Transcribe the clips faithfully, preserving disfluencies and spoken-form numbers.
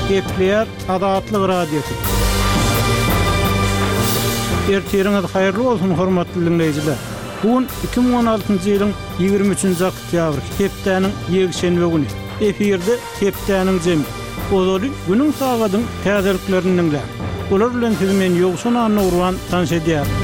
Gepleýär Azatlyk Radiosy. Ertiriňiz haýyrly bolsun, hormatly diňleýjiler! Bu gün iki müň on altynjy ýylyň ýigrimi üçünji oktýabry, hepdäniň ýekşenbe güni. Efirde Hepdäniň jemi. Ozaly günüň sagadyň täzeliklerini diňläň. Olar bilen sizi men Ýowşan Annagurban tanyş edýärin.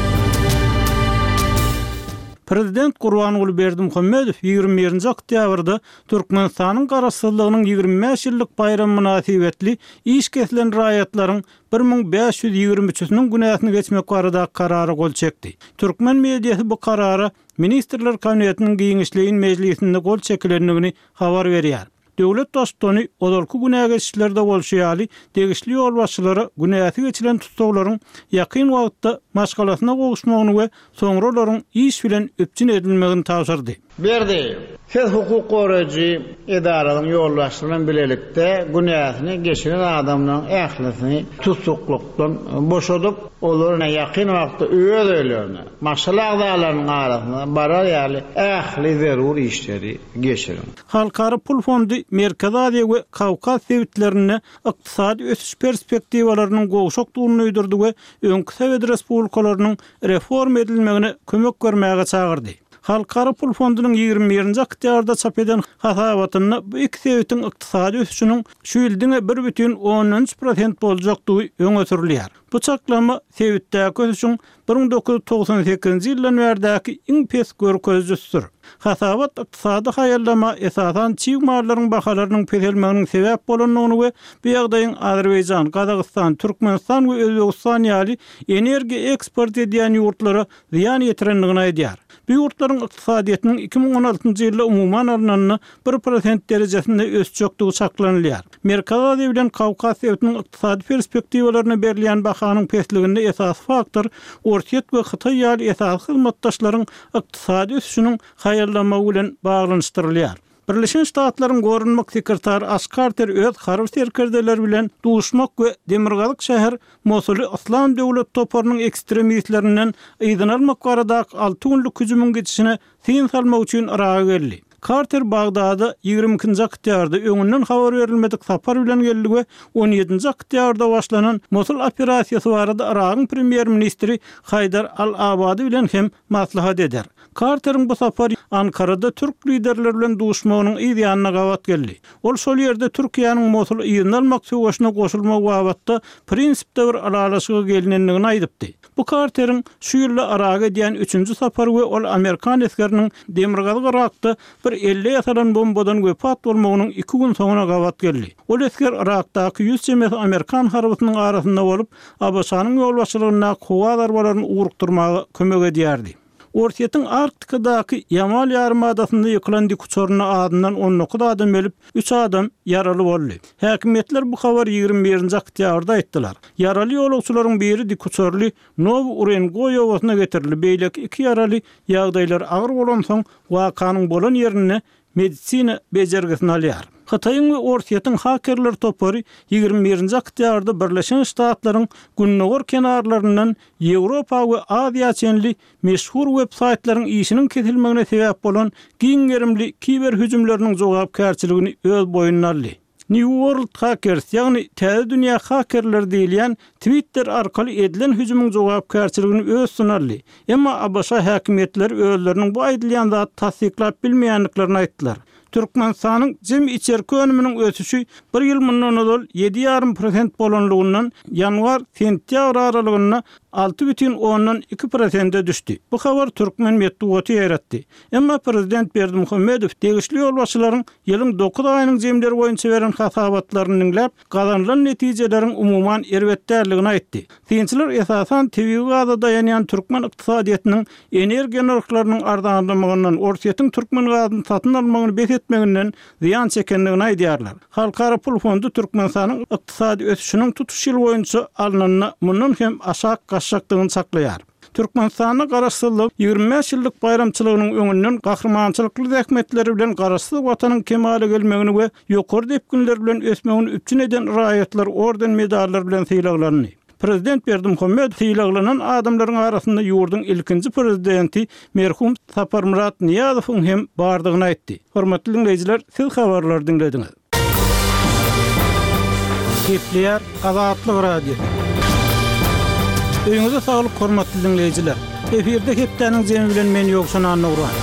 Prezident Gurbanguly Berdimuhamedow ýigrimi birinji oktýabrda Türkmenistanyň Garaşsyzlygynyň ýigrimi bäş ýyllyk baýramy mynasybetli iş kesilen raýatlaryň bir müň bäş ýüz ýigrimi üçüsiniň günäsini geçmek baradaky karara gol çekdi. Türkmen mediasy bu karara Ministrler Kabinetiniň giňişleýin mejlisinde gol çekilendigini habar berýär. Döwlet Baştutany ozalky günä geçişlerde bolşy ýaly, degişli ýolbaşçylara günäsi geçilen tussaglaryň ýakyn wagtda maşgalasyna gowuşmagyny we soňra olaryň iş bilen üpjün edilmegini tabşyrdy. Berdiýew, Siz hukuk goraýjy edaralaryň ýolbaşçysy bilen bilelikde günäsini geçiren adamlaryň ählisini tussaglykdan boşadyp, olary ýakyn wagtda öz öýlerine, maşgala agzalarynyň arasyna barar ýaly ähli zerur işleri geçiriň. Halkara pul fondy Merkezi Aziýa we Kawkaz sebitlerinde ykdysady ösüş perspektiwalarynyň gowşakdygyny duýdurdy we öňki sowet respublikalarynyň reforma edilmegine kömek bermäge çagyrdy. Halkara pul fondunyň ýigrimi birinji oktýabrda çap eden hasabatynda bu iki sebitiň ykdysady ösüşiniň şu ýyl diňe bir bütin ondan üç prosent boljakdygy öňe sürülýär. Bu çaklama sebitdäki ösüşiň bir müň dokuz ýüz togsan sekizinji ýyldan bärdäki iň pes görkezijisidir. Hasabat ykdysady haýallama esasan çig mallaryň bahalarynyň peselmeginiň sebäp bolandygyny we bu ýagdaýyň Azerbaýjan, Gazagystan, Türkmenistan we Özbegistan ýaly energiýa eksport edýän ýurtlara zyýan ýetirendigini aýdýar. Bu ýurtlaryň ykdysadyýetiniň iki müň on altynjy ýylda umuman alnanda bir prosent derejesinde ösjekdigi çaklanylýar. Merkezi Aziýa bilen Kawkaz sebitiniň ykdysady perspektiwalaryna berilýän bahanyň pesliginde esasy faktor Orsýet we Hytaý ýaly esasy hyzmatdaşlaryň ykdysady ösüşiniň haýallamagy bilen baglanyşdyrylýar. Birleşen Ştatlaryň Goranmak sekretary Aş Karter öz harby serkerdeleri bilen duşmak we demirgazyk şäher Mosuly Yslam döwlet toparynyň ekstremistlerinden yzyna almak baradaky alty günlük hüjümiň gidişine syn salmak üçin Yraga geldi. Karter Bagdada ýigrimi ikinji oktýabrda öňünden habar berilmedik sapar bilen geldi we on ýedinji oktýabrda başlanan Mosul operasiýasy barada Yragyň premýer-ministri Haýdar al-Abady bilen hem maslahat eder. Karteriň bu sapary Ankarada türk liderleri bilen duşmagynyň yz ýanyna gabat geldi. Ol şol ýerde Türkiýäniň Mosuly yzyna almak söweşine goşulmagy babatda prinsipde bir ylalaşyga gelinendigini aýdypdy. Bu Karteriň şu ýylda Yraga edýän üçünji sapary we ol amerikan esgeriniň demirgazyk Yrakda bir elde ýasalan bombadan wepat bolmagynyň iki gün soňuna gabat geldi. Ol esger Yrakdaky ýüz çemesi amerikan harbysynyň arasynda bolup, ABŞ-nyň ýolbaşçylygyndaky howa zarbalaryny ugrukdyrmaga kömek edýärdi. Orsýetiň Arktikadaky Ýamal ýarymadasynda ýykylan dikuçarynda azyndan on dokuz adam ölüp, üç adam ýaraly boldy. Häkimiýetler bu habary ýigrimi birinji oktýabrda aýtdylar. Ýaraly ýolagçylaryň biri dikuçarly Nowy Urengoý obasyna getirildi, beýleki iki ýaraly ýagdaýlary agyr bolansoň, wakanyň bolan ýerinde medisina bejergisini alýar. Hytaýyň we Orsýetiň hakerler topary ýigrimi birinji oktýabrda Birleşen Ştatlaryň gündogar kenarlaryndan Ýewropa we Aziýa çenli meşhur web-saýtlaryň işiniň kesilmegine sebäp bolan giň gerimli kiber hüjümleriniň jogapkärçiligini öz boýnuna aldy. New World Hackers, ýagny Täze dünýä hakerleri diýilýän Twitter arkaly edilen hüjümiň jogapkärçiligini öz üstüne aldy. Emma ABŞ häkimiýetleri özleriniň bu aýdylýan zady tassyklap bilmeýändiklerini aýtdylar. Türkmenistanyň jemi içerki önüminiň ösüşi bir ýyl mundan ozal ýedi ýarym prosent bolanlygyndan ýanwar-sentýabr aralygynda alty bütin ondan iki prosente düşdi. Bu habar türkmen metbugaty ýaýratdy. Emma prezident Berdimuhamedow degişli ýolbaşçylaryň ýylyň dokuz aýynyň jemleri boýunça beren hasabatlaryny diňläp, gazanylan netijeleriň umuman erbet däldigini aýtdy. Synçylar esasan tebigy gaza daýanýan türkmen ykdysadyýetiniň energiýa nyrhlarynyň arzanlamagyndan, Orsýetiň türkmen gazyny satyn almagyny bes etmeginden zyýan çekendigini aýdýarlar. Halkara pul fondy Türkmenistanyň ykdysady ösüşiniň tutuş ýyl boýunça alnanda mundan hem aşak gaçjakdygyny çaklaýar. Türkmenistanda Garaşsyzlygyň ýigrimi bäş ýyllyk baýramçylygynyň öňünden gahrymançylykly zähmetleri bilen Garaşsyz Watanyň kemala gelmegini we ýokary depginler bilen ösmegini üpjün eden raýatlar orden-medallar bilen sylaglandy. Prezident Berdimuhamedow sylaglanan adamlaryň arasynda ýurduň ilkinji prezidenti merhum Saparmyrat Nyýazowyň hem bardygyny aýtdy. Hormatly diňleýjiler, siz habarlary diňlediňiz. Gepleýär Azatlyk Radiosy. Öýüňize saglyk hormatly dinleýjiler. Efirde hepdäniň jemi bilen men Ýowşan Annagurban.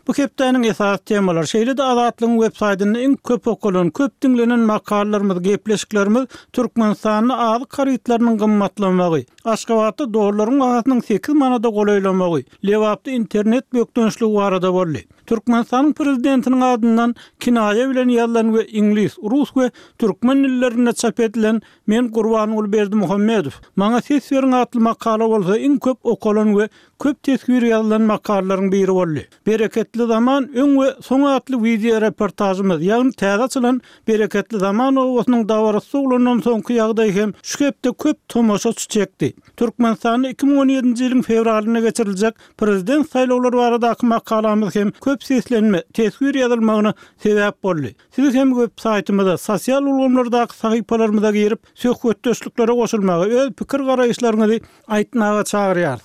Bu hepdäniň esasy temalary şeýle-de Azatlygyň web saýtynda iň köp okalan, köp diňlenen makalalarymyz, gepleşiklerimiz Türkmenistanda azyk harytlarynyň gymmatlamagy, Aşgabatda dollaryň bahasynyň sekiz manada golaýlamagy, Lebapda internet bökdençligi barada boldy. Türkmenistanyň prezidentiniň adyndan kinaýa bilen ýazylan we iňlis, rus we türkmen dillerinde çap edilen Men Gurbanguly Berdimuhamedow, maňa ses beriň atly makala bolsa iň köp okalan we köp teswir ýazylan makalalaryň biri boldy. Bereketli zaman öň we soň atly wideo reportažymyz, ýagny täze açylan Bereketli zaman obasynyň dabarasy sowlandan soňky ýagdaý hem şu hepde köp tomaşaçy çekdi. Türkmenistanda iki müň on ýedinji ýylyň fewralynda geçiriljek prezident saýlawlary baradaky makalamyz hem köp seslenme, teswir ýazylmagyna sebäp boldy. Siz hem web saýtymyza, sosial ulgamlardaky sahypalarymyza girip, söhbetdeşliklere goşulmaga, öz pikir-garaýyşlaryňyzy aýtmaga çagyrýarys.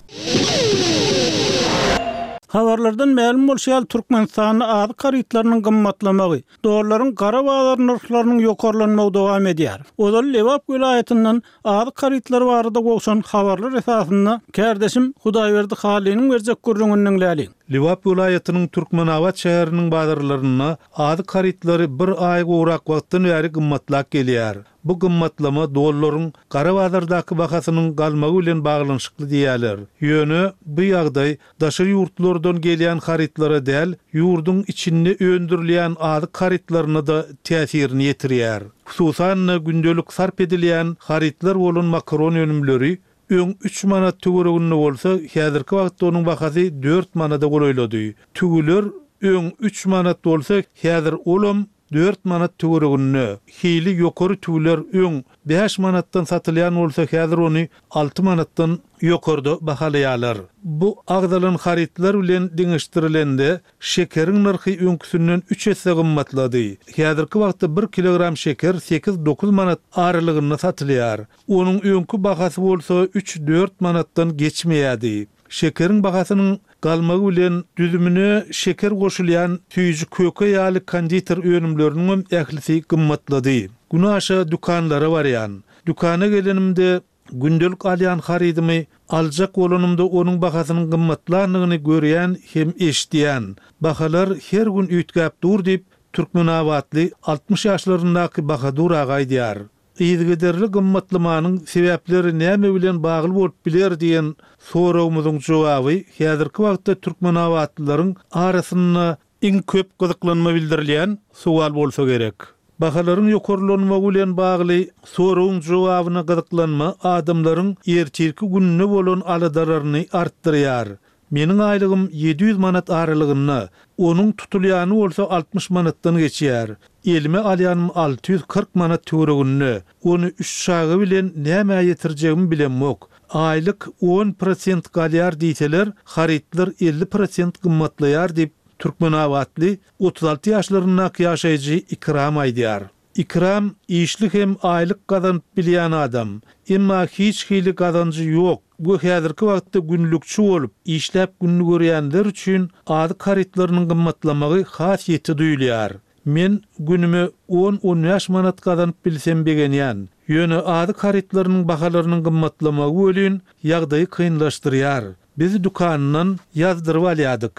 Habarlardan mälim bolşy ýaly, Türkmenistanda azyk harytlarynyň gymmatlamagy, dollaryň gara bazar nyrhlarynyň ýokarlanmagy dowam edýär. Ozal Lebap welaýatyndan azyk harytlary barada gowşan habarlar esasynda kärdeşim Hudaýberdi Halynyň berjek gürrüňini diňläliň. Lebap welaýatynyň Türkmenabat şäheriniň bazarlarynda azyk harytlary bir aý gowrak wagtdan bäri gymmatlap gelýär. Bu gymmatlama dollaryň gara bazardaky bahasynyň galmagy bilen baglanyşykly diýýärler. Ýöne bu ýagdaý daşary ýurtlardan gelýän harytlara däl, ýurduň içinde öndürilýän azyk harytlaryna-da täsirini ýetirýär. Hususan-da, gündelik sarp edilýän harytlar bolan makaron önümleri öň üç manat töwereginde bolsa, häzirki wagtda onuň bahasy dört manada golaýlady. Tüwüler öň üç manat bolsa, häzir olam dört manat töwereginde. Hili ýokary tüwüler öň bäş manatdan satylýan bolsa, häzir ony alty manatdan ýokarda bahalaýarlar. Bu agzalan harytlar bilen deňeşdirilende, şekeriň nyrhy öňküsinden üç esse gymmatlady. Häzirki wagtda bir kilogram şeker sekiz-dokuz manat aralygynda satylýar. Onuň öňki bahasy bolsa üç-dört manatdan geçmeýärdi. Şekeriň bahasynyň galmagy bilen düzümine şeker goşulýan süýji köke ýaly konditer önümleriniňem ählisi gymmatlady. Günaşa dükanlara barýan. Dükana gelenimde gündelik alýan harydymy aljak bolanymda onuň bahasynyň gymmatlandygyny görýän hem eşidýän. Bahalar her gün üýtgäp dur diýip, türkmenabatly altmyş ýaşlaryndaky Bahadur aga aýdýar. Yzygiderli gymmatlamanyň sebäpleri näme bilen bagly bolup biler diýen soragymyzyň jogaby häzirki wagtda türkmenabatlylaryň arasynda iň köp gyzyklanma bildirilýän sowal bolsa gerek. Bahalaryň ýokarlanmagy bilen bagly soragyň jogabyna gyzyklanma adamlaryň ertirki gününe bolan aladalaryny artdyrýar. Meniň aýlygym ýedi ýüz manat aralygynda, onuň tutulýany bolsa altmyş manatdan geçýär. Elime alýanym alty ýüz kyrk manat töwereginde, ony üç çaga bilen nämä ýetirjegimi bilemok. Aýlyk on prosent galýar diýseler, harytlar elli prosent gymmatlaýar diýip, türkmenabatly otuz alty ýaşlaryndaky ýaşaýjy Ikram aýdýar. Ikram işli hem aýlyk gazanyp bilýän adam, emma hiç hili gazanjy ýok we häzirki wagtda günlükçi bolup, işläp gününi görýänler üçin azyk harytlarynyň gymmatlamagy has ýiti duýulýar. Men günüme on-on bäş manat gazanyp bilsem begenýän. Ýöne azyk harytlarynyň bahalarynyň gymmatlamagy welin ýagdaýy kynlaşdyrýar. Biz dükandan ýazdyryp alýardyk.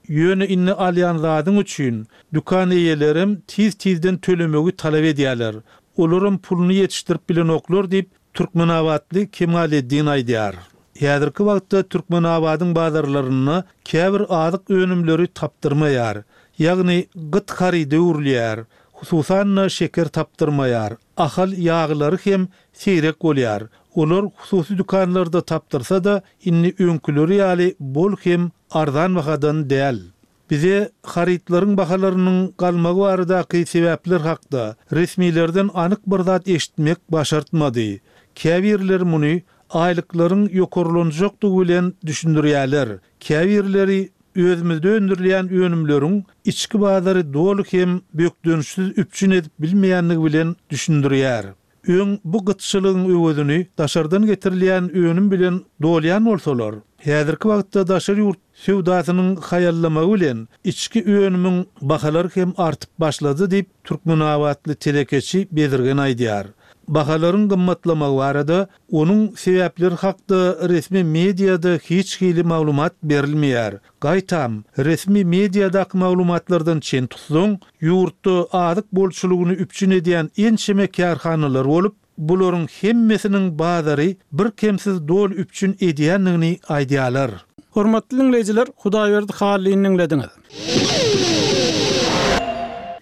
Ýöne indi alýan zadyň üçin dükan eýelerem tiz-tizden tölemegi talap edýärler. Olaram puluny ýetişdirip bilenoklar diýip, türkmenabatly Kemaleddin aýdýar. Häzirki wagtda Türkmenabadyň bazarlarynda käbir azyk önümleri tapdyrmaýar. Ýagny gyt haryda öwrülýär. Hususan-da şeker tapdyrmaýar. Ahal ýaglary hem seýrek bolýar. Olar hususy dükanlarda tapdyrsa-da, indi öňküleri ýaly bol hem arzan bahadan däl. Bize harytlaryň bahalarynyň galmagy baradaky sebäpler hakda resmilerden anyk bir zat eşitmek başartmady. Käbirleri muny aýlyklaryň ýokarlanjakdygy bilen düşündirýärler, käbirleri özümizde öndürilýän önümleriň içki bazary doly hem bökdençsiz üpjün edip bilmeýändigi bilen düşündirýär. Öň bu gytçylygyň öwezini daşardan getirilýän önüm bilen dolýan bolsalar, häzirki wagtda daşary ýurt söwdasynyň haýallamagy bilen içki önümiň bahalary hem artyp başlady diýip, Türkmenabatly telekeçi Bezirgen aýdýar. Bahalaryň gymmatlamagy barada onuň sebäpleri hakda resmi mediada hiç hili maglumat berilmeýär. Gaýtam, resmi mediadaky maglumatlardan çen tutsaň, ýurtda azyk bolçulygyny üpjün edýän ençeme kärhanalar bolup, bularyň hemmesiniň bazary birkemsiz doly üpjün edýändigini aýdýarlar. Hormatly diňleýjiler, Hudaýberdi Hallyny diňlediňiz.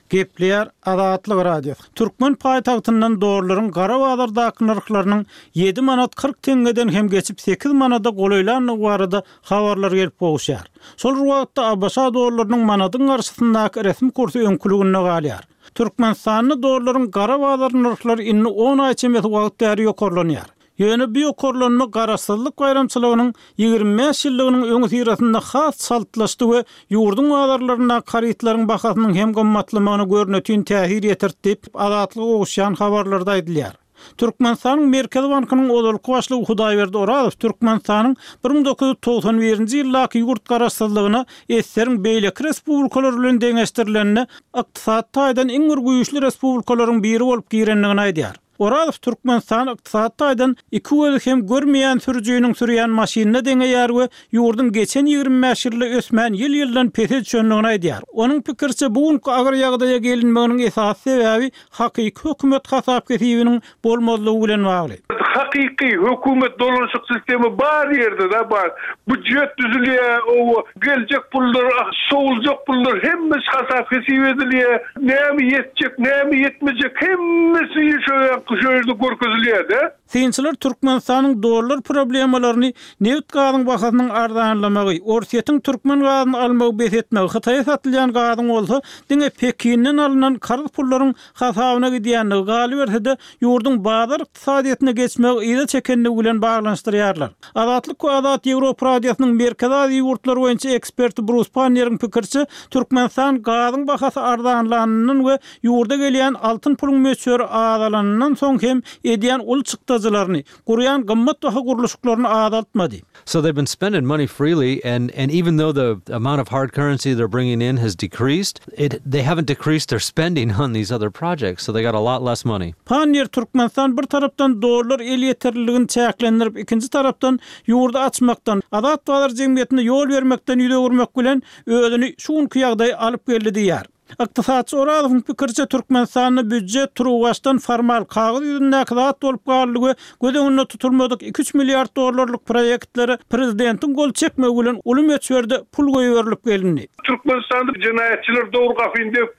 Gepleýär Azatlyk Radiosy. Türkmen paýtagtyndan dollaryň gara bazardaky nyrhlarynyň ýedi manat kyrk teňňeden hem geçip sekiz manada golaýlandygy barada habarlar gelip gowuşýar. Şol bir wagtda A B Ş dollarynyň manadyň garşysyndaky resmi kursy öňküliginde galýar. Türkmenistanda dollaryň gara bazar nyrhlary indi on aý çemesi wagt bäri ýokarlanýar. Ýöne bu ýokarlanma garaşsyzlyk baýramçylygynyň ýigrimi bäş ýyllygynyň öňüsyrasynda has çaltlaşdy we ýurduň bazarlaryndaky harytlaryň bahasynyň hem gymmatlamagyna görnetin täsir ýetirdi diýip, Azatlyga gowuşýan habarlarda aýdylýar. Türkmenistanyň Merkezi Bankynyň ozalky başlygy Hudaýberdi Orazow Türkmenistanyň bir müň dokuz ýüz togsan birinji ýyldaky ýurt garaşsyzlygyna S S R-iň beýleki respublikalary bilen deňeşdirilende ykdysady taýdan iň bir güýçli respublikalaryň biri bolup girendigini aýdýar. Orazow Türkmenistan ykdysady taýdan iki gözi hem görmeýän sürüjiniň sürýän maşynyna deňeýär we ýurduň geçen ýigrimi bäş ýylda ösmän ýyl-ýyldan pese düşendigini aýdýar. Onuň pikiriçe bu günki agyr ýagdaýa gelinmeginiň esasy sebäbi hakyky hökümet hasap kesibiniň bolmazlygy bilen bagly. Hakyky hökümet dolanşyk sistemi bar ýerde da bar. Büdjet düzülýär, o geljek pullar, sowuljak pullar hemmesi hasap kesip edilýär. Näme ýetjek, näme ýetmejek hemmesi şöyle şöyle görkezilýär de. Synçylar Türkmenistanyň dollar problemalaryny neft gazyň bahasynyň arzanlamagy, Orsýetiň türkmen gazyny almagy bes etmegi, Hytaýa satylýan gazyň bolsa diňe Pekinden alynan karz pullaryň hasabyna gidýändigi, galyberse-de ýurduň bazar ykdysadyýetine geçmegi yza çekendigi bilen baglanyşdyrýarlar. Azatlyk we Azat Ýewropa Radiosynyň Merkezi Aziýa ýurtlary boýunça eksperti Brus Panneriň pikiriçe, Türkmenistan gazyň bahasy arzanlanyndan we ýurda gelýän altyn puluň möçberi azalanyndan soň hem edýän uly çykdajylaryny, gurýan gymmat baha gurluşyklaryny azaltmady. So they've been spending money freely, and, and even though the amount of hard currency they're bringing in has decreased, it, they haven't decreased their spending on these other projects, so they got a lot less money. Pannier Türkmenistan bir tarapdan dollar elýeterliligini çäklendirip, ikinji tarapdan ýurdy açmakdan, Azat bazar jemgyýetine ýol bermekden ýüz öwürmek bilen özüni şu günki ýagdaýa alyp geldi diýýär. Ykdysatçy Orazowyň pikiriçe Türkmenistanda büdjet turuwbaşdan formal kagyz ýüzündäki zat bolup galdy we göz öňünde tutulmadyk iki üç milliard dollarlyk proýektlere prezidentiň gol çekmegi bilen uly möçberde pul goýberilip gelindi. Türkmenistanda jenaýatçylar dogry gapyny döwüp,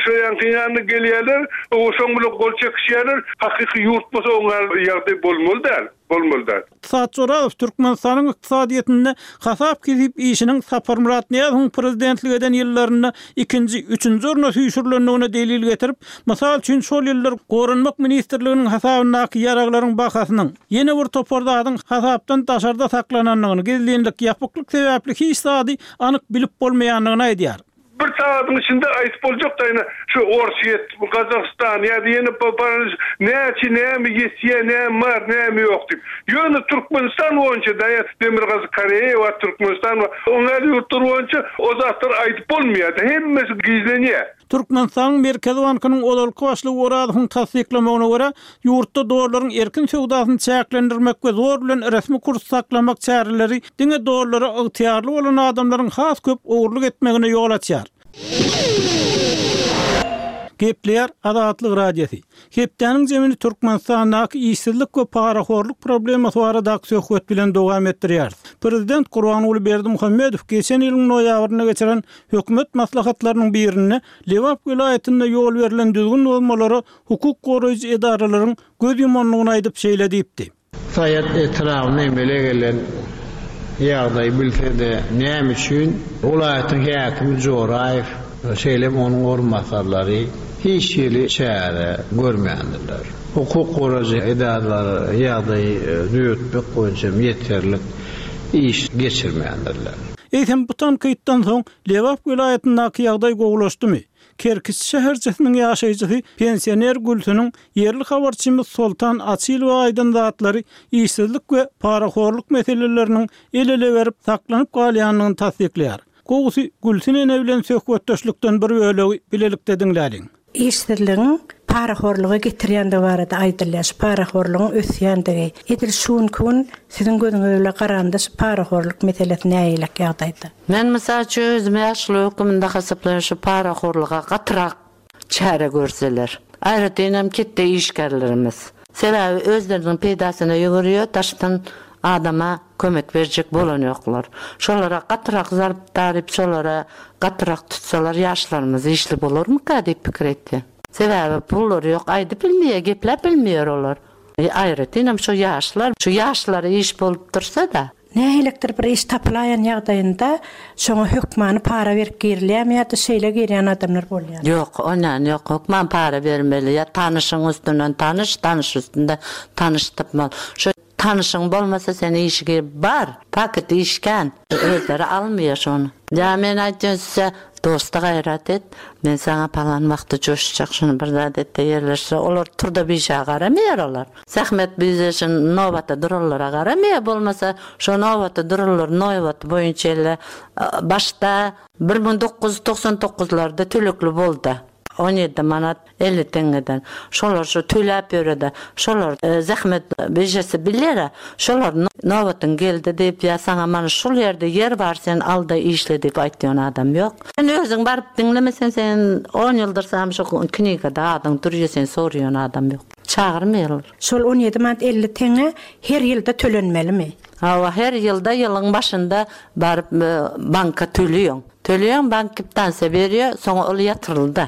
şo ýanky ýanyna gelýärler, o şoň bilen gol çekişýärler. Hakyky ýurt bolsa oňa ýagdaý bolmaly däl, bolmaly däl. Ykdysatçy Orazow Türkmenistanyň ykdysadyýetinde hasap kesip işiniň Saparmyrat Nyýazowyň prezidentlik eden ýyllarynda ikinji, üçünji orna süýşürilendigine delil getirip, mysal üçin şol ýyllar Goranmak ministrliginiň hasabyndaky ýaraglaryň bahasynyň ýene bir topar zadyň hasapdan daşarda saklanandygyny, gizlinlik, ýapyklyk sebäpli hiç zady anyk bilip bolmaýandygyny aýdýar. Bir saatyň içinde aýdyp boljak da ýene şu Orsýet, Gazagystan ýa-da ýene näçe näme ýetýär, näme bar, näme ýok diýip. Ýöne Türkmenistan boýunça da ýa Demirgazyk Koreýa we Türkmenistan we oňa ýurtlar boýunça o zatlar aýdyp bolmaýar. Hemmesi gizlenýär. Türkmenistanyň Merkezi Bankynyň ozalky başlygy Orazowyň tassyklamagyna görä, ýurtda dollaryň erkin söwdasyny çäklendirmek we zor bilen resmi kurs saklamak çäreleri diňe dollara ygtyýarly bolan adamlaryň has köp ogurlyk etmegine ýol açýar. Gepleýär Azatlyk Radiosy. Hepdäniň jemini Türkmenistandaky işsizlik we parahorluk problemasy baradaky söhbet bilen dowam etdirýäris. Prezident Gurbanguly Berdimuhamedow geçen ýylyň noýabrynda geçiren hökümet maslahatlarynyň birinde Lebap welaýatynda ýol berlen düzgün bozmalara hukuk goraýjy edaralaryň göz ýumandygyny aýdyp şeýle diýipdi. Saýat etrabynda emele gelen ýagdaý bilse-de näme üçin welaýatyň häkimi Joraýew, şeýle hem onuň orunbasarlary hiç hili çäre görmändirler. Hukuk goraýjy edaralary ýagdaýy düzetmek boýunça ýeterlik iş geçirmändirler. Eýsem bu tankytdan soň Lebap welaýatyndaky ýagdaý gowulaşdymy? Kerkiç şäherçesiniň ýaşaýjysy pensioner Gülsüniň ýerli habarçymyz Soltan Açylowa aýdan zatlary işsizlik we parahorluk meseleleriniň el-ele berip saklanyp galýandygyny tassyklaýar. Gowusy Gülsün ene bilen söhbetdeşlikden bir bölegi bilelikde diňläliň. Işsizligiň parahorluga getirýändigi barada aýdylýar. Şu parahorlugyň ösýändigi. Edil şu gün siziň gözüňiz bilen garanda şu parahorluk meselesi nähili ýagdaýda? Men mysal üçin özüm ýaşly höküminde hasaplaýan şu parahorluga gatyrak çäre görseler. Aýratyn ketde işgärlerimiz. Sebäbi özleriniň peýdasyna ýügürýär, daşdan adama kömek berjek bolan ýoklar. Şolara gatyrak zarp daryp, şolara gatyrak tutsalar ýaşlarymyz işli bolarmyka diýip pikir etdi. Sebäbi pullar ýok, aýdyp bilmeýär, gepläp bilmeýär olar. E, aýratyn şu ýaşlar, şu ýaşlar iş bolup dursa-da. Nähilidir bir iş tapylaýan ýagdaýynda şoňa hökmany para berip girilýärmi ýa-da şeýle girýän adamlar bolýar? Ýok, ondan ýok, hökman para bermeli. Ýa tanyşyň üstünden tanyş, tanyş üstünde tanyş tapmaly. Şu tanyşyň bolmasa sen işe gir bar, paket işken özleri almaýar şony. Ýa men aýtýan size dosta gaýrat et, men sana palan wagty joşjak şuny bir zat etde ýerleşse, olar turda bir işe garamaýar olar. Zähmet bize şu nobata dururlara garamaýar, bolmasa şu nobata dururlar nobat boýunça elle başda bir müň dokuz ýüz togsan dokuzlarda tölekli boldy. On ýedi manat elli teňňeden. Şolar şu töläp ýöredi. Şolar, e, zähmet bijesi bilýär. Şolar nobatyň geldi diýip, ýa saňa mana şul ýerde ýer bar, sen al-da işle diýip aýtýan adam ýok. Sen özüň baryp diňlemesen, sen on ýyldyr sam şu knigada adyň durýar, sen soraýan adam ýok. Çagyrmaýarlar. Şol on ýedi manat elli teňňe her ýylda tölenmelimi? Hawa, her ýylda ýylyň başynda baryp, e, banka töleýän. Töleýän, bank kwitansiýa berýär, soňra ol ýatyryldy.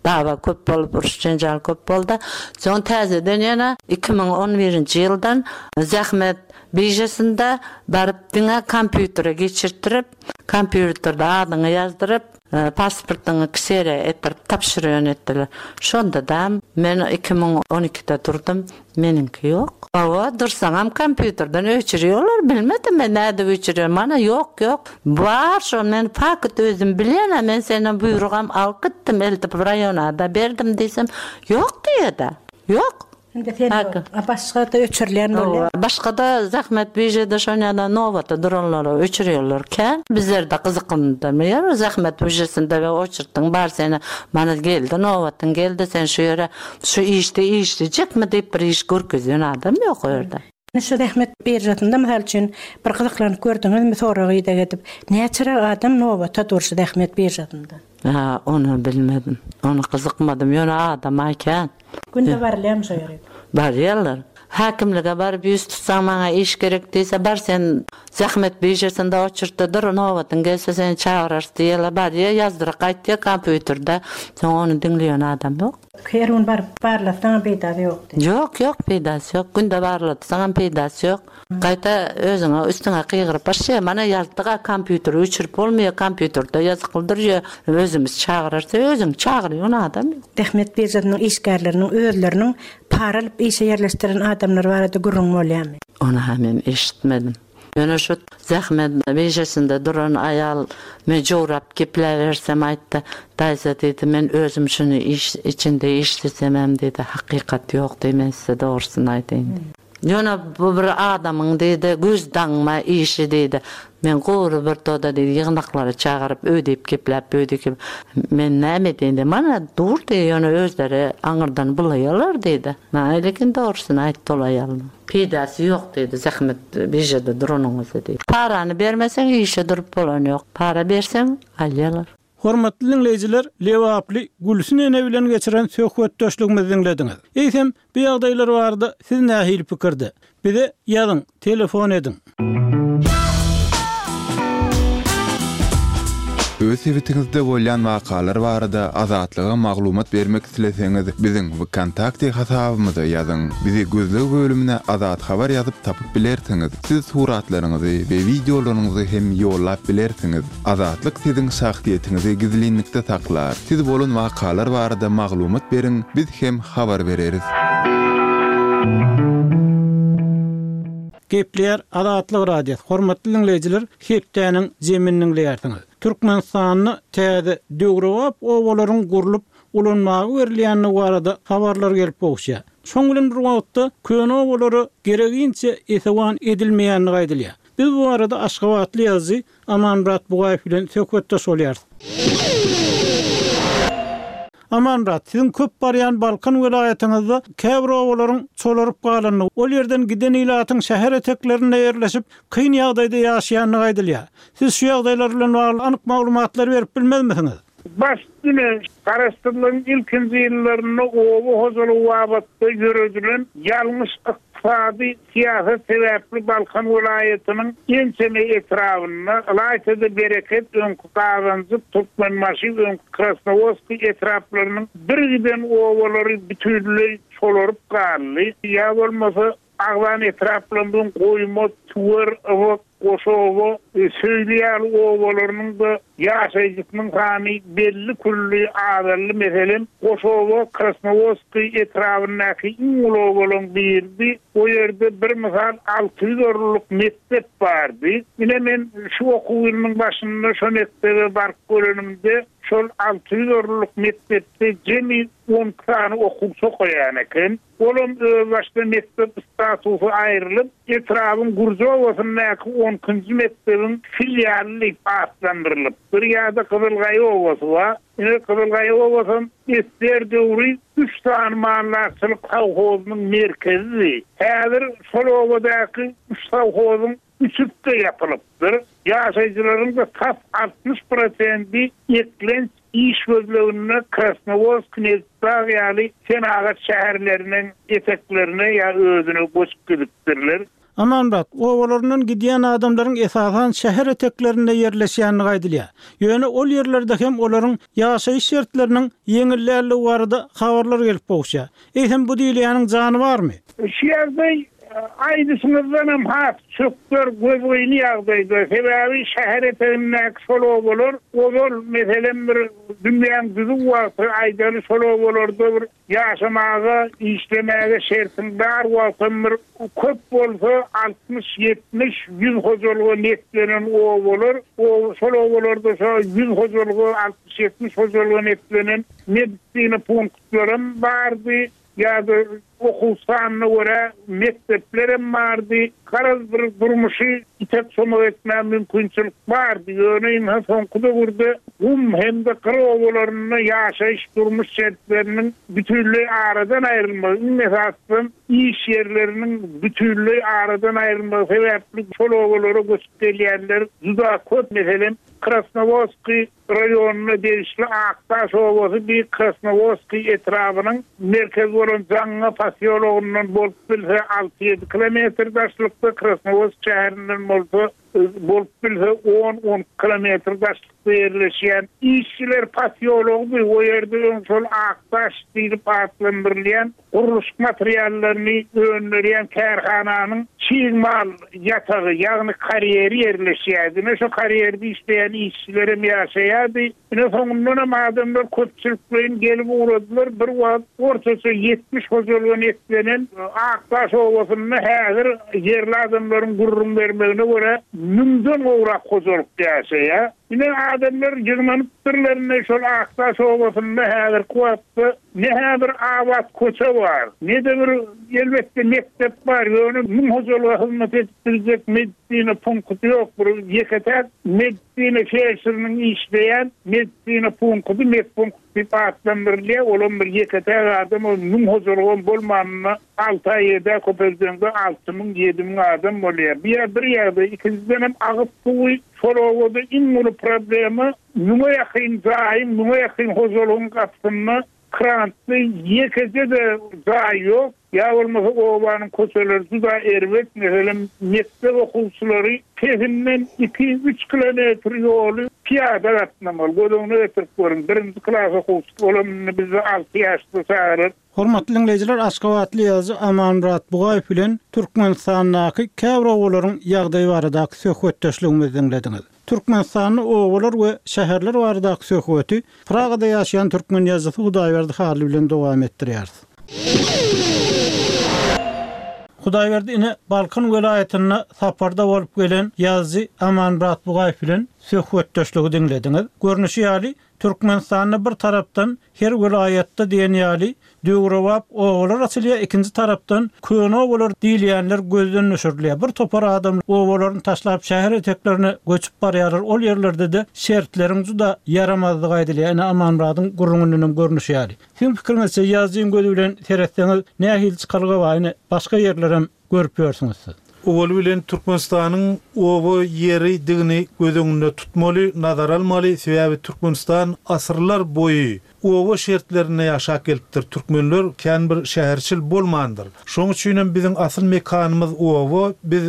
Dawa köp bolup, uruş jenjal köp boldy. Soň täzeden ýene iki müň on birinji ýyldan zähmet biržasynda baryp diňe kompýutere geçirtdirip, kompýuterde adyňy ýazdyryp, e, pasportyňy ksere etdirip tapşyrýan etdiler. Şonda da men iki müň on ikide durdum, meniňki ýok. Hawa, dursaňam kompýuterden öçürýärler, bilmedim men näde öçürýär, mana ýok, ýok. Bar şo, men paket özüm bilýän, men senden buýrugam alyp gitdim, eltip raýona da berdim diýsem, ýok diýdi. Ýok. Indi sen Haky. A başga da öçürilýän bolýar. Hawa, başga da zähmet biržada şonýada nobata duranlara öçürýärler kän. Bizler de gyzyklandyrmaýar, zähmet biržasynda we oçurtdyň bar seni, mana geldi, nobatyň geldi, sen şu ýere, şu işde işlejekmi diýip bir iş görkezýän adam ýok o ýerde. Şu zähmet biržasynda mysal üçin bir gyzyklanyp gördüňizmi soragy ideg edip, näçe adam nobata dur şu zähmet biržasynda? Ha, onu bilmedim. Onu gyzykmadym. Ýöne adam aýkan. Günde barylýarmy şo ýere? Barýarlar. Häkimlige baryp ýüz tutsaň maňa iş gerek diýse, bar sen zähmet biržasynda oçurtda dur, nobatyň gelse seni çagyrarys diýerler. Barýar, ýazdyryp gaýtýar kompýuterde. Soň ony diňleýän adam ýok. Her gün baryp barlasaň peýdasy ýok diýip. Ýok, ýok, peýdasy ýok. Günde barlatsaň hem peýdasy ýok. Gaýta özüňe üstüňe gygyryp başlaýar. Mana ýazdyk, kompýuteri öçürip bolmaýar, kompýuterde ýazyklydyr ýa özümiz çagyrarsa, özüň çagyrýan adam ýok. Zähmet biržasynyň işgärleriniň özleriniň para alyp işe ýerleşdiren adamlar barada gürrüň bolýarmy? Ony hem men eşitmedim. Ýöne şu zähmet biržasynda duran aýal men jogap gepläbersem aýtdy. Daýza diýdi, men özüm şuny iş içinde işlesem hem diýdi, hakykat ýok diýdi, men size dogrusyny aýdaýyn diýdi. Ýöne bu bir adamyň diýdi, göz daňma işi diýdi. Men gowry bir toda diýdi, ýygnaklara çagyryp, öýdüp gepläp, öýdüp gep-, Men näme diýdi, mana dur diýdi, ýöne özleri aňyrdan bulaýarlar diýdi. Maňa lekin dogrusyny aýtdy ol aýal. Peýdasy ýok diýdi, zähmet biržada duranyňyzy diýdi. Parany bermeseň işe durup bolan ýok. Para berseň alýarlar. Hormatly dinleýjiler, Lebaply Gülsün ene bilen geçiren söhbetdeşligimizi diňlediňiz. Eýsem, bu ýagdaýlar barada siz nähili pikirde? Bize ýazyň, telefon ediň. Öz sebitiňizde bolýan wakalar barada Azatlyga maglumat bermek isleseňiz, biziň VKontakte hasabymyza ýazyň. Bizi gözleg bölümine Azat Habar ýazyp tapyp bilersiňiz. Siz suratlaryňyzy we wideolaryňyzy hem ýollap bilersiňiz. Azatlyk siziň şahsyýetiňizi gizlinlikde saklar. Siz bolan wakalar barada maglumat beriň, biz hem habar bereris. Gepler Azatlyk Radiosy. Hormatly dinleýjiler, hepdäniň zeminini diňleýärsiňiz. Türkmenistanda täze döwrebap obalaryň gurlup ulanmaga berilýändigi barada habarlar gelip gowuşýar. Şoň bilen bir wagtda köne obalara gereginçe esewan edilmeýändigi aýdylýar. Biz bu barada Aşgabatly ýazyjy Amanmyrat Bugaýew bilen söhbetdeş bolýarys. Amanmyrat, siziň köp barýan Balkan welaýatyňyzda käbir obalaryň çolaryp galandygy, ol ýerden giden ilatyň şäher eteklerinde ýerleşip, kyn ýagdaýda ýaşaýandygy aýdylýar. Siz şu ýagdaýlar bilen bagly anyk maglumatlary berip bilmezmisiňiz? Baş üstüne Garaşsyzlygyň ilkinji ýyllarynda oba hojalygy babatda ýöredilen ýalňyş ykdysady syýasat sebäpli Balkan welaýatynyň ençeme etrabynda, ylaýta-da Bereket, öňki Gazanjyk, Türkmenbaşy, öňki Krasnowodskiý etraplarynyň birgiden obalary bütinleý çolaryp galdy. Ýa bolmasa agzan etraplarynyň Goýma, Tüwer, Ybyk, Goşoba, Söýli ýaly obalarynyň-da ýaşaýjysynyň sany belli külli azaldy. Meselem, Goşoba Krasnowodskiý etrabyndaky iň uly obalaryň biridi. O ýerde bir mysal alty ýüz orunlyk mekdep bardy. Ine men şu okuw ýylynyň başynda şo mekdebe baryp görenimde şol alty ýüz orunlyk mekdepde jemi on iki sany okuwçy okaýan eken. Olam özbaşda mekdep statusy aýrylyp, etrabyn Gürji obasyndaky on ikinji mekdebiň filialy diýip atlandyrylypdyr. Ýa-da Gyzylgaýa obasy bar. Ine Gyzylgaýa obasam esger döwri üç sany maldarçylyk sowhozynyň merkezidi. Häzir şol obadaky üç sowhozyň üçüsi-de ýapylypdyr. Ýaşaýjylaryň da tas altmyş prosenti eklenç iş gözleginde Krasnowodsk, Nebitdag ýaly senagat şäherleriniň eteklerine ýa özüne göçüp gidipdirler. Amanmyrat, obalaryndan gidýän adamlaryň esasan şäher eteklerinde ýerleşýändigi aýdylýar. Ýöne ol ýerlerde hem olaryň ýaşaýyş şertleriniň ýeňilländigi barada habarlar gelip gowuşýar. Eýsem bu diýilýäniň jany barmy? Şu ýagdaý aýdyşyňyzdan hem has çökder gözgyny ýagdaýda. Sebäbi şäher etegindäki şol obalar ozal meselem bir dünýäň düzüw wagty aýdaly şol obalarda bir ýaşamaga, işlemäge şertiň bar wagtam bir köp bolsa altmyş, ýetmiş, ýüz hojalyga netlenen obalar, o şol obalarda şo ýüz hojalyga, altmyş, ýetmiş hojalyga netlenen medisina punktlarym bardy. Ýa-da okuw sanyna görä mekdeplerem bardy. Garaz bir durmuşy itek somak etmäge mümkinçilik bardy. Ýöne indi soňky döwürde gum hem-de gyr obalarynda ýaşaýyş durmuş şertleriniň bütünleý aradan aýrylmagy, iň esasy iş ýerleriniň bütünleý aradan aýrylmagy sebäpli şol obalara göçüp gelýänler juda köp. Meselem, Krasnowodskiý raýonyna degişli Akdaş obasy bir Krasnowodskiý etrabynyň merkezi bolan Jaňňa posýologyndan bolup bilse alty ýedi kilometr daşlykda, Krasnowodsk şäherinden bolsa bolup bilse on on kilometr daşlykda ýerleşýän işçiler posýology o ýerde öň şol Akdaş diýlip atlandyrylýan gurluşyk materiallaryny öndürýän kärhananyň çig mal ýatagy, ýagny karýeri ýerleşýärdi. Ine şo karýerde işleýän işçiler hem ýaşaýardy. Ine soňundan hem adamlar köpçülikleýin gelip ugradylar. Bir wagt ortaça ýetmiş hojalyga netlenen Akdaş obasynda häzir ýerli adamlaryň gürrüň bermegine görä müňden gowrak hojalyk ýaşaýar. Ine adamlar ýygnanypdyrlar şol Akdaş obasynda häzirki wagtda ne bir abat köçe bar, ne de bir elbetde mektep bar. Ýöne müň hojalyga hyzmat edip biljek medisina punkty ýok. Bir ýeke-täk medisina felşeriniň işleýän medisina punkty, medpunkt diýip atlandyrylýar. Olam bir ýeke-täk adam, ol müň hojalygam bolmanyna alty aý ýedi köpeldeňde alty müň, ýedi müň adam bolýar. Bir ýer, bir ýerde, ikinjiden hem agyz suwy şol obada iň uly problema müňe ýakyn jaýyň, müňe ýakyn hojalygyň gapysynda krantly ýekeje-de jaý ýok. Ýa bolmasa obanyň köçeleri juda erbet. Meselem, mekdep okuwçylary pesinden iki, üç kilometr ýoly piýada gatnamaly. Göz öňüne getirip görüň, birinji klas okuwçysy olam indi bizde alty ýaşda çagalar. Hormatly dinleýjiler, Aşgabatly ýazyjy Amanmyrat Bugaýew bilen Türkmenistandaky käbir obalaryň ýagdaýy baradaky söhbetdeşligimizi dinlediňiz. Türkmenistanda obalar we şäherler baradaky söhbeti Pragada ýaşaýan türkmen ýazyjysy Hudaýberdi Hally bilen dowam etdirýäris. Hudaýberdi ine Balkan welaýatynda saparda bolup gelen ýazyjy Amanmyrat Bugaýew bilen söhbetdeşligi diňlediňiz. Görnüşi ýaly Türkmenistanda bir tarapdan her welaýatda diýen ýaly döwrebap obalar açylýar, ikinji tarapdan köne obalar diýilýänler gözden düşürilýär. Bir topar adam obalaryny taşlap şäher eteklerine göçüp barýarlar. Ol ýerlerde de şertleriň juda ýaramazlygy aýdylýar. Ine Amanmyradyň gürrüňinden görnüşi ýaly. Siziň pikiriňizçe ýazyjyň gözi bilen seretseňiz nähili çykalga bar? Ine başga ýerlerem görüp ýörsüňiz siz. Owaly bilen Türkmenistanyň oba ýeridigini göz öňünde tutmaly, nazar almaly. Sebäbi Türkmenistan asyrlar boýy oba şertlerinde ýaşap gelipdir. Türkmenler kän bir şäherçil bolmandyr. Şoň üçin hem biziň asyl mekanymyz oba. Biz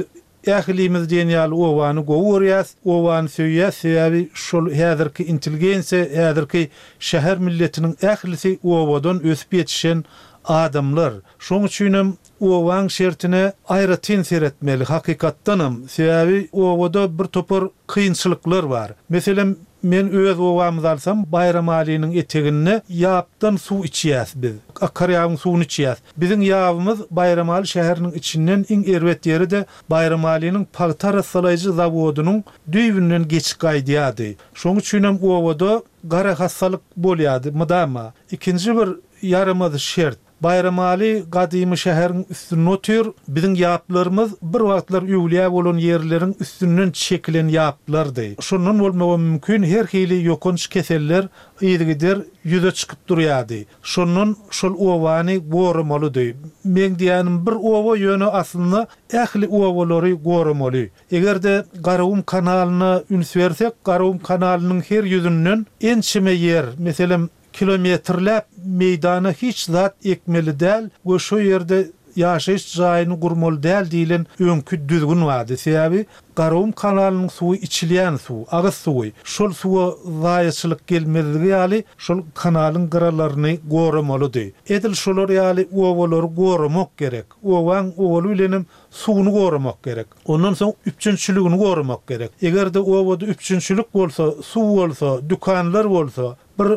ählimiz diýen ýaly obany gowy görýäs, obany söýýäs. Sebäbi şol häzirki intelligensiýa, häzirki şäher milletiniň ählisi obadan ösüp ýetişen adamlar. Şoň üçin hem obaň şertine aýratyn seretmeli hakykatdanam. Sebäbi obada bir topar kynçylyklar bar. Meselem, men öz obamyzy alsam, Baýramalynyň eteginde ýapdan suw içýäs biz. Akarýabyň suwuny içýäs. Biziň ýabymyz Baýramaly şäheriniň içinden iň erbet ýeri-de Baýramalynyň pagta arassalaýjy zawodynyň düýbünden geçip gaýdýardy. Şoň üçin hem obada gara hassalyk bolýardy mydama. Ikinji bir ýaramaz şert. Baýramaly gadymy şäheriň üstünde otyr. Biziň ýaplarymyz bir wagtlar öwlüýä bolan ýerleriň üstünden çekilen ýaplardy. Şondan bolmagy mümkin her hili ýokanç keseller yzygider ýüze çykyp durýardy. Şondan şol obany goramalydy. Men diýenim bir oba ýöne aslynda ähli obalary goramaly. Eger-de Garagum kanalyna üns bersek, Garagum kanalynyň her ýüzünden ençeme ýer, meselem kilometrläp meýdana hiç zat ekmeli däl we şo ýerde ýaşaýyş jaýyny gurmaly däl diýilen öňki düzgün bardy. Sebäbi Garagum kanalynyň suwy içilýän suw, agyz suwy. Şol suwa zaýaçylyk gelmezligi ýaly şol kanalyň gyralaryny goramalydy. Edil şolar ýaly obalary goramak gerek. Obaň owaly bilenem suwuny goramak gerek. Ondan soň üpjünçiligini goramak gerek. Eger-de obada üpjünçilik bolsa, suw bolsa, dükanlar bolsa, bir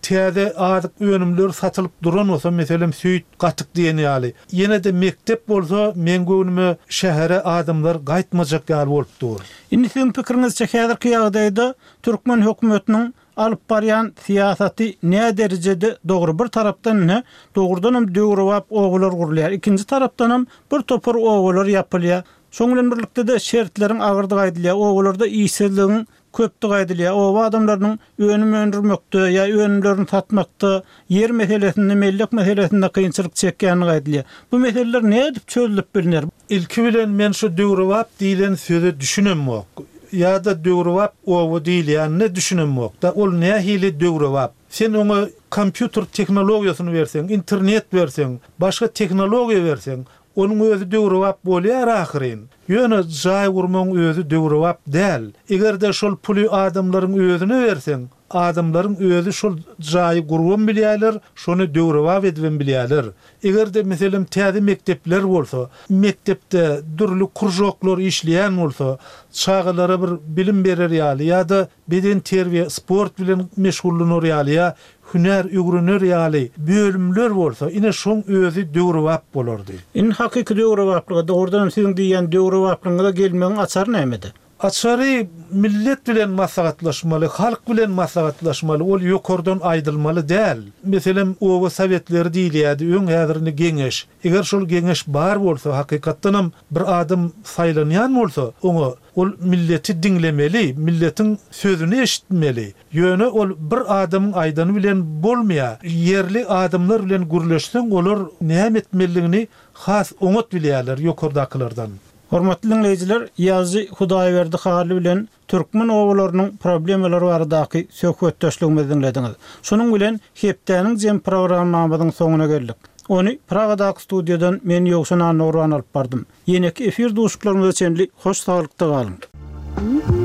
täze azyk önümleri satylyp duran bolsa, meselem süýt, gatyk diýen ýaly. Ýene de mektep bolsa, men göwnüme şähere adamlar gaýtmajak ýaly bolup dur. Indi siziň pikiriňizçe häzirki ýagdaýda türkmen hökümetiniň alyp barýan syýasaty nä derejede dogry? Bir tarapdan ne dogrudan hem döwrebap obalar gurulýar. Ikinji tarapdan hem bir topar obalar ýapylýar. Şoň bilen birlikde de şertleriň agyrdygy aýdylýar. Obalarda işsizligiň köpdügi aýdylýar. Oba adamlarynyň önüm öndürmekde ýa önümlerini satmakda, ýer meselesinde, mellek meselesinde kynçylyk çekýänligi aýdylýar. Bu meseleler nädip çözülip bilner? Ilki bilen men şu döwrebap diýilen söze düşünemok. Ýa-da döwrebap oba diýilýänine düşünemok da ol nähili döwrebap? Sen oňa kompýuter tehnologiýasyny berseň, internet berseň, başga tehnologiýa berseň, onuň özi döwrebap bolýar ahyryn. Ýöne jaý gurmagyň özi döwrebap däl. Eger-de şol puly adamlaryň özüne berseň, adamlaryň özi şol jaýy gurban bilýärler, şony döwrebap edibem bilýärler. Eger-de meselem täze mektepler bolsa, mektepde dürli kurjoklar işleýän bolsa, çagalara bir bilim berer ýaly ýa-da beden terbiýe, sport bilen meşgullanар ýaly ýa hünär öwrener ýaly bölümler bolsa, ine şoň özi döwrebap bolardy. Indi hakyky döwrebaplyga dogrudan siziň diýen döwrebaplygyňyza gelmegiň açary nämede? Açary millet bilen maslahatlaşmaly, halk bilen maslahatlaşmaly, ol ýokardan aýdylmaly däl. Meselem, oba sowetleri diýilýärdi, öň häzirini geňeş. Eger şol geňeş bar bolsa, hakykatdanam bir adam saýlanýan bolsa, oňa ol milleti diňlemeli, milletiň sözüni eşitmeli. Ýöne ol bir adamyň aýdany bilen bolmaýar. Ýerli adamlar bilen gürleşseň, olar näme etmelidigini has oňat bilýärler ýokardakylardan. Hormatly dinleýjiler, ýazyjy Hudaýberdi Hally bilen türkmen obalarynyň problemalary baradaky söhbetdeşligimizi diňlediňiz. Şonuň bilen hepdäniň jem programmamyzyň soňuna geldik. Ony Pragadaky studiýadan men Ýowşan Annagurban alyp bardym. Ýeneki efir duşuşyklarymyza çenli hoş saglykda galyň.